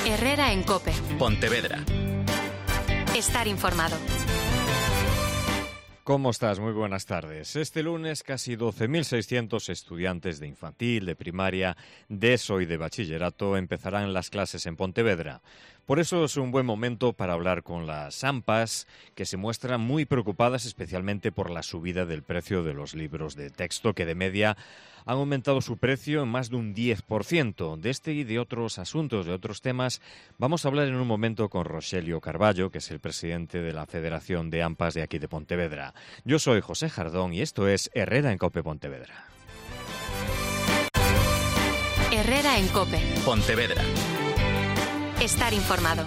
Herrera en COPE. Pontevedra. Estar informado. ¿Cómo estás? Muy buenas tardes. Este lunes casi 12.600 estudiantes de infantil, de primaria, de ESO y de bachillerato empezarán las clases en Pontevedra. Por eso es un buen momento para hablar con las AMPAs, que se muestran muy preocupadas especialmente por la subida del precio de los libros de texto, que de media han aumentado su precio en más de un 10%. De este y de otros asuntos, de otros temas, vamos a hablar en un momento con Roxelio Carballo, que es el presidente de la Federación de AMPAs de aquí de Pontevedra. Yo soy José Jardón y esto es Herrera en COPE Pontevedra. Herrera en COPE. Pontevedra. Estar informado.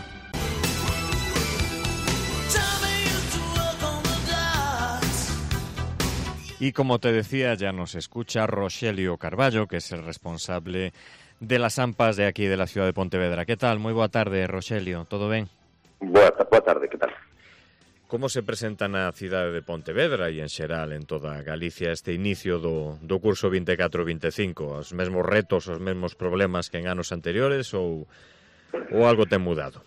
Y como te decía, ya nos escucha Roxelio Carballo, que es el responsable de las AMPAs de aquí de la ciudad de Pontevedra. ¿Qué tal? Muy boa tarde, Roxelio. ¿Todo ben? Boa tarde, que tal? Como se presenta na cidade de Pontevedra e en xeral en toda Galicia este inicio do curso 24-25? Os mesmos retos, os mesmos problemas que en anos anteriores ou algo ten mudado?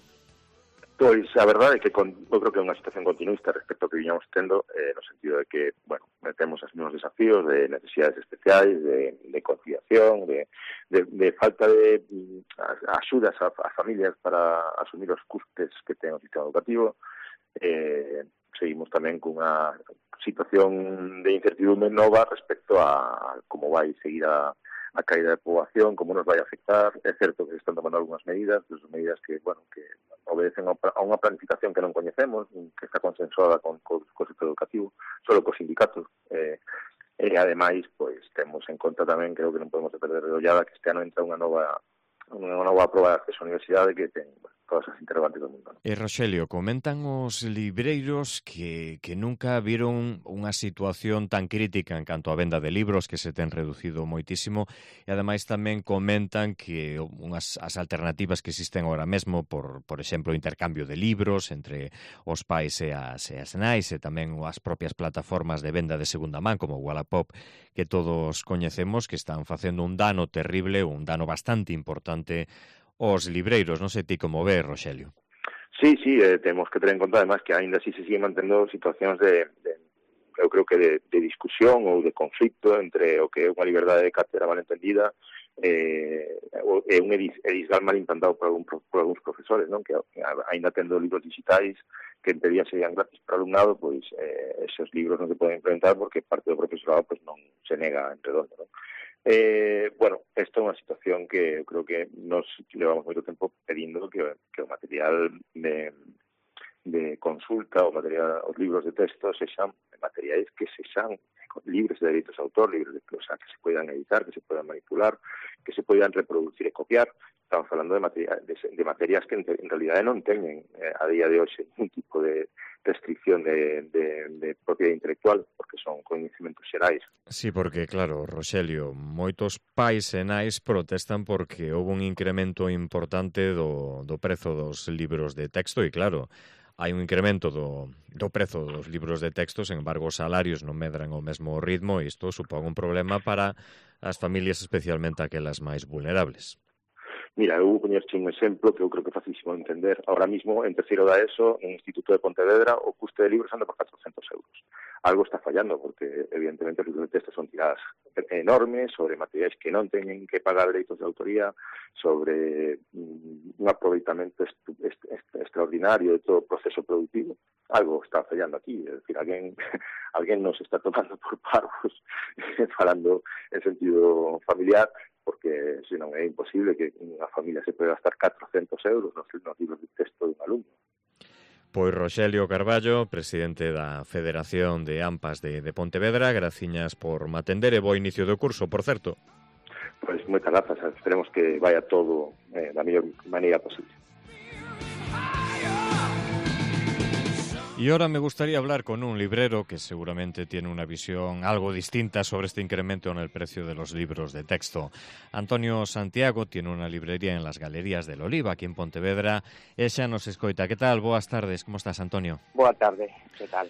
Pois a verdade é que eu creo que é unha situación continuista respecto ao que viñamos tendo, no sentido de que, bueno, temos os mesmos desafíos de necesidades especiais, de conciliación, de falta de axudas a familias para asumir os custes que ten o sistema educativo. Seguimos tamén cunha situación de incertidumbre nova respecto a como vai seguir a caída de poboación, como nos vai afectar. É certo que se están tomando algunhas medidas que, bueno, que obedecen a unha planificación que non coñecemos, que está consensuada co sector educativo, solo cos sindicatos. E ademais, pois, temos en conta tamén, creo que non podemos perder de ollada, que este ano entra unha nova proba de acceso á universidade que ten, bueno, todas as interrogantes do mundo, ¿no? Roxelio, comentan os libreiros que nunca viron unha situación tan crítica en canto a venda de libros, que se ten reducido moitísimo, e ademais tamén comentan que as alternativas que existen agora mesmo, por exemplo, o intercambio de libros entre os pais e as nais, e tamén as propias plataformas de venda de segunda man, como Wallapop, que todos coñecemos, que están facendo un dano terrible, un dano bastante importante os libreiros. Non sei ti como ves, Roxelio. Sí, temos que ter en conta, además, que ainda así se siguen mantendo situacións eu creo que de discusión ou de conflicto entre o que é unha liberdade de cátedra mal entendida e un edisgal mal implantado por algúns profesores, non? Que ainda tendo libros digitais que en teoría serían gratis para o alumnado, pois esos libros non se poden implementar porque parte do profesorado pois non se nega en redondo, non? Bueno, esta é unha situación que eu creo que nos levamos moito tempo pedindo que o material de consulta, os libros de texto sexan materiais que sexan libres de dereitos de autor, o sea, que se poidan editar, que se poidan manipular, que se poidan reproducir e copiar. Estamos falando de materias que en realidade non teñen a día de hoxe ningún tipo de restricción de propiedade intelectual, porque son coñecementos xerais. Sí, porque, claro, Roxelio, moitos pais e nais protestan porque houve un incremento importante do prezo dos libros de texto e, claro, hai un incremento do prezo dos libros de texto, sen embargo, os salarios non medran ao mesmo ritmo e isto supón un problema para as familias, especialmente aquelas máis vulnerables. Mira, eu vou poñerche un exemplo que eu creo que é facilísimo de entender. Ahora mismo, en terceiro da ESO, en Instituto de Pontevedra, o custe de libros anda por 400 euros. Algo está fallando, porque, evidentemente, os libros de texto son tiradas enormes sobre materiais que non teñen que pagar dereitos de autoría, sobre un aproveitamento extraordinario de todo o proceso productivo. Algo está fallando aquí, é dicir, alguén nos está tomando por parvos, falando en sentido familiar, porque senón é imposible que unha familia se pode gastar 400 euros nos libros de texto de un alumno. Pois Roxelio Carballo, presidente da Federación de AMPAs de Pontevedra, graciñas por matender e bo inicio do curso, por certo. Pois moitas grazas, esperemos que vaya todo da mellor maneira posible. Y ahora me gustaría hablar con un librero que seguramente tiene una visión algo distinta sobre este incremento en el precio de los libros de texto. Antonio Santiago tiene una librería en las Galerías del Oliva, aquí en Pontevedra, e xa nos escoita. Que tal? Boas tardes, como estás, Antonio? Boa tarde, que tal?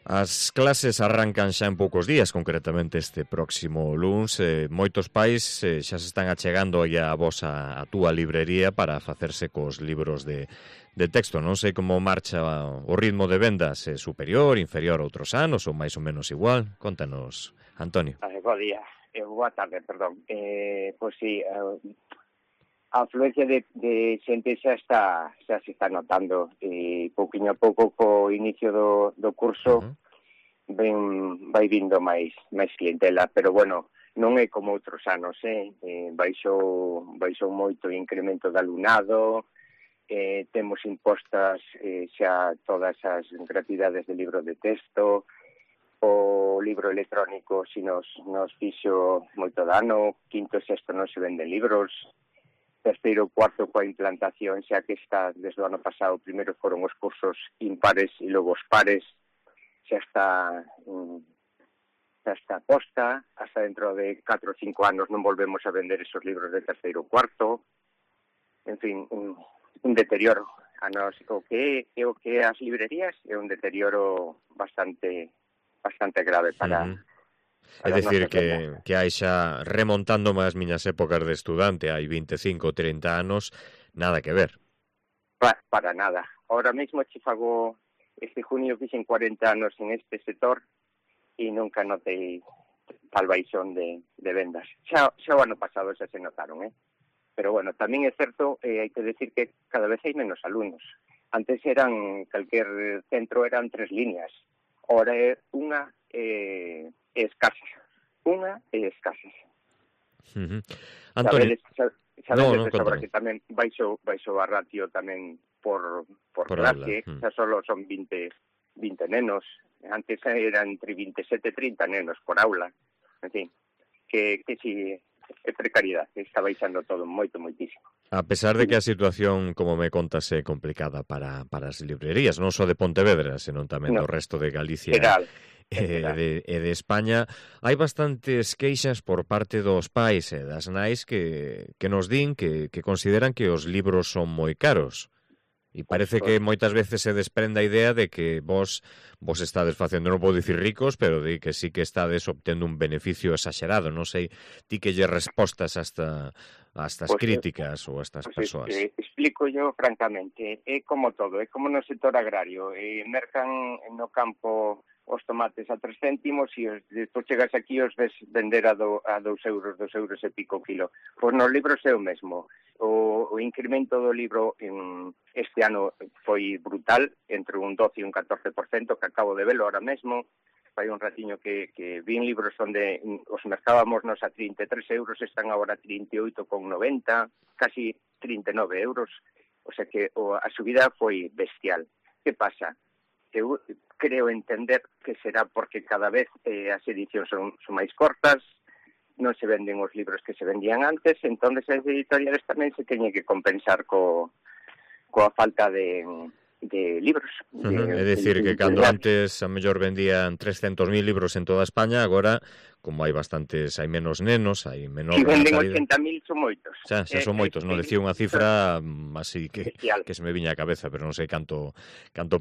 As clases arrancan xa en poucos días, concretamente este próximo luns. Moitos pais xa se están achegando aí a vos a túa librería para facerse cos libros de texto. Non sei como marcha o ritmo de vendas, superior, inferior a outros anos ou máis ou menos igual. Contanos, Antonio. Bo día, boa tarde, perdón. Pois sí, a afluencia de xente xa se está notando, e pouquiño a pouco co inicio do curso vai vindo máis clientela, pero bueno, non é como outros anos, baixou moito o incremento de alumnado, temos impostas xa todas as gratuidades de libro de texto, o libro electrónico si nos fixo moito dano, quinto e sexto non se venden libros, terceiro, cuarto coa implantación, xa que está desde o ano pasado, primeiro foron os cursos impares e logo os pares, xa está posta, hasta dentro de 4 ou 5 anos non volvemos a vender esos libros de terceiro ou cuarto, en fin, un deterioro. O que é as librerías é un deterioro bastante grave para... É dicir que hai xa, remontando as miñas épocas de estudante, hai 25 ou 30 anos, nada que ver. Para nada. Ahora mesmo che fago, este junio fixen 40 anos en este sector e nunca notei tal baixón de vendas. Xa o ano pasado xa se notaron, Pero bueno, tamén é certo, hai que decir que cada vez hai menos alumnos. Antes calquer centro eran 3 líneas. Ahora é unha escasas. Antonio, sabedes de sobra que tamén baixo a ratio tamén por clase, xa solo son 20 nenos. Antes eran entre 27 e 30 nenos por aula. En fin, que si é precariedade, está baixando todo moitísimo. A pesar de que a situación, como me contas, é complicada para as librerías, non só de Pontevedra, senón tamén do resto de Galicia e de España, hai bastantes queixas por parte dos pais e das nais que nos din que consideran que os libros son moi caros. E parece que moitas veces se desprende a idea de que vos estades facendo, non podo dicir ricos, pero de que sí que estades obtendo un beneficio exagerado. Non sei ti que lle respostas a estas críticas ou a estas persoas. Explico yo francamente, é como todo, é como no sector agrario, mercan no campo os tomates a 3 céntimos e despois chegas aquí e os ves vender a 2 euros e pico o kilo. Pois nos libros é o mesmo. O incremento do libro este ano foi brutal, entre un 12 e un 14%, que acabo de velo ahora mesmo. Fai un ratiño que vin libros onde os mercábamos nos a 33 euros, están agora a 38,90, casi 39 euros. O sea que a subida foi bestial. Que pasa? Eu creo entender que será porque cada vez as edicións son máis cortas, non se venden os libros que se vendían antes, entón as editoriales tamén se teñen que compensar coa falta de libros. É dicir que cando antes a mellor vendían 300.000 libros en toda España, agora, como hai menos nenos, hai menor... Si venden 80.000 son moitos. Xa son moitos, non decía unha cifra así que se me viña a cabeza, pero non sei canto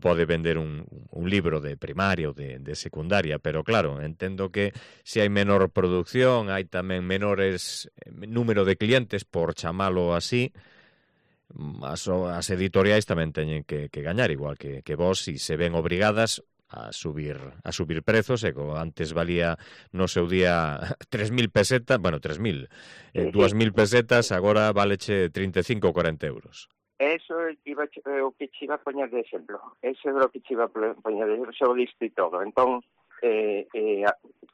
pode vender un libro de primaria ou de secundaria, pero claro, entendo que se hai menor producción, hai tamén menores número de clientes, por chamalo así. As editoriais tamén teñen que gañar, igual que vos, e se ven obrigadas a subir prezos, e como antes valía no seu día 3.000 pesetas, 2.000 pesetas, agora valeche 35 ou 40 euros. Eso é o que che iba a poñer de exemplo. Eso é o que che iba a poñer de exemplo, xa o diste todo. Entón,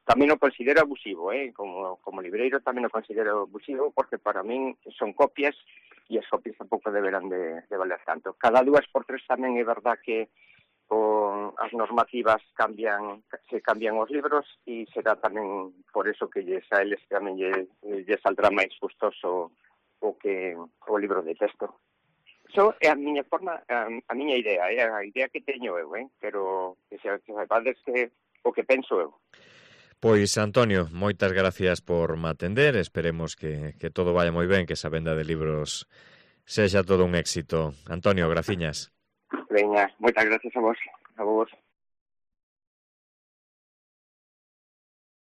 tamén o considero abusivo, como libreiro tamén o considero abusivo, porque para min son copias e as copias tampouco deberán de valer tanto. Cada 2 por 3 tamén é verdad que as normativas se cambian os libros, e será tamén por eso que a eles tamén lle saldrá máis custoso o libro de texto. Iso é a miña forma, a miña idea, a idea que teño eu, pero que se saibades que o que penso eu. Pois, Antonio, moitas gracias por me atender. Esperemos que todo vaya moi ben, que esa venda de libros sexa todo un éxito. Antonio, graciñas. Veña, moitas gracias a vos.